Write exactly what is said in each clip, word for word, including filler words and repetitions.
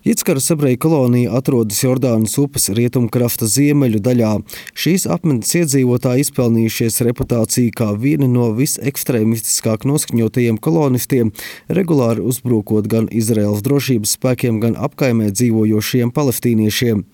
Jickaras ebreju kolonija atrodas Jordānas upes rietumkrasta ziemeļu daļā. Šīs apmetnes iedzīvotāji izpelnījušies reputāciju kā vieni no visekstrēmistiskāk noskaņotajiem kolonistiem, regulāri uzbrukot gan Izraēlas drošības spēkiem, gan apkaimē dzīvojošiem palestīniešiem.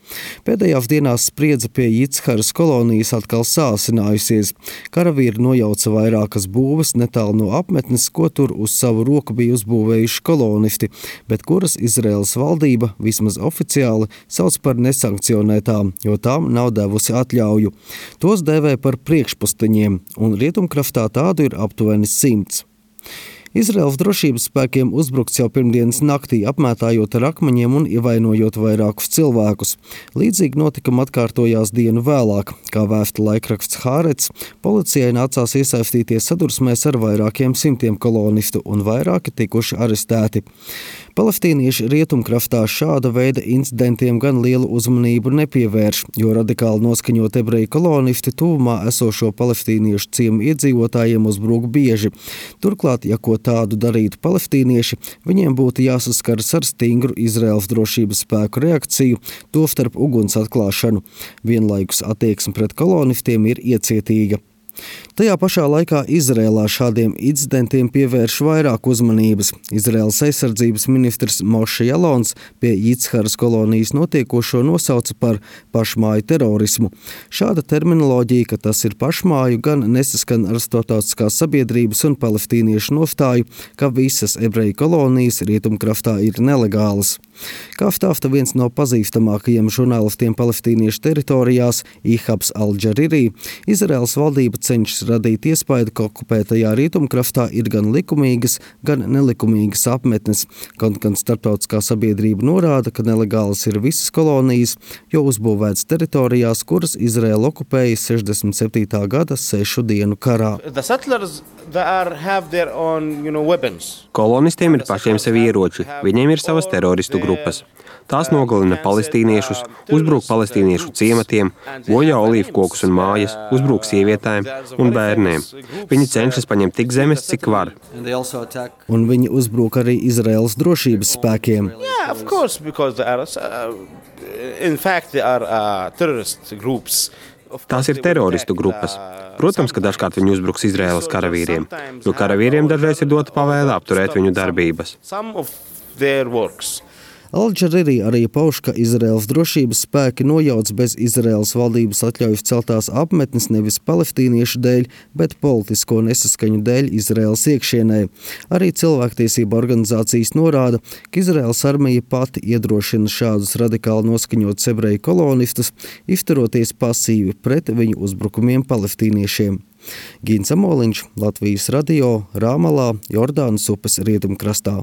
Pēdējās dienās spriedze pie Jickaras kolonijas atkal sāsinājusies. Karavīri nojauca vairākas būves netālu no apmetnes, ko tur uz savu roku bija uzbūvējuši kolonisti, bet kuras Izraēlas valdība vismaz oficiāli sauc par nesankcionētām, jo tām nav devusi atļauju. Tos dēvē par priekšposteņiem, un rietumkraftā tādu ir aptuveni simts. Izraēlas drošības spēkiem uzbrukts jau pirmdienas naktī, apmētājot ar akmeņiem un ievainojot vairākus cilvēkus. Līdzīgi notikumi atkārtojās dienu vēlāk. Kā vēsta laikraksts Hārets, policijai nācās iesaistīties sadursmēs ar vairākiem simtiem kolonistu un vairāki tikuši arestēti. Palestīnieši rietumkraftā šāda veida incidentiem gan lielu uzmanību nepievērš, jo radikāli noskaņot ebreju kolonisti tuvumā esošo palestīniešu ciemu iedzīvotājiem uzbruk bieži. Turklāt, ja ko tādu darītu palestīnieši, viņiem būtu jāsaskaras ar stingru Izraēlas drošības spēku reakciju, tostarp uguns atklāšanu. Vienlaikus attieksme pret kolonistiem ir iecietīga. Tajā pašā laikā Izrēlā šādiem incidentiem pievērš vairāk uzmanības. Izraēlas aizsardzības ministrs Moše Jalons pie Jickaras kolonijas notiekošo nosauca par pašmāju terorismu. Šāda terminoloģija, ka tas ir pašmāju, gan nesaskan ar starptautiskās sabiedrības un palestīniešu nostāju, ka visas ebreju kolonijas rietumkraftā ir nelegālas. Kā stāsta viens no pazīstamākajiem žurnālistiem palestīniešu teritorijās, Ihabs Al-Džariri, Izraēlas valdība cenšas radīt iespaidu, ka okupētajā rietumkraftā ir gan likumīgas, gan nelikumīgas apmetnes. Kaut gan starptautiskā sabiedrība norāda, ka nelegālas ir visas kolonijas, jo uzbūvētas teritorijās, kuras Izraēla okupēja sešdesmit septītā gada sešu dienu karā. Own, you know, Kolonistiem ir pašiem sevi ieroči, viņiem ir savas teroristu grupas. Tās nogalina palestīniešus, uzbruk palestīniešu ciematiem, bojā olīvkokus un mājas, uzbruk sievietēm un bērniem. Viņi cenšas paņemt tik zemes, cik var. Un viņi uzbruk arī Izraēlas drošības spēkiem. Yeah, of course, because they are, uh, in fact, they are uh, terrorist groups. Tās ir teroristu grupas. Protams, ka dažkārt viņi uzbruks Izraēlas karavīriem, jo karavīriem dažreiz ir dota pavēle apturēt viņu darbības. Al-Džariri arī pauž, ka Izraēlas drošības spēki nojauc bez Izraēlas valdības atļaujas celtās apmetnes nevis palestīniešu dēļ, bet politisko nesaskaņu dēļ Izraēlas iekšienē. Arī cilvēktiesība organizācijas norāda, ka Izraēlas armija pati iedrošina šādus radikāli noskaņotus ebreju kolonistus, izturoties pasīvi pret viņu uzbrukumiem palestīniešiem. Gins Amoliņš, Latvijas radio, Rāmalā, Jordānas upes rietumkrastā.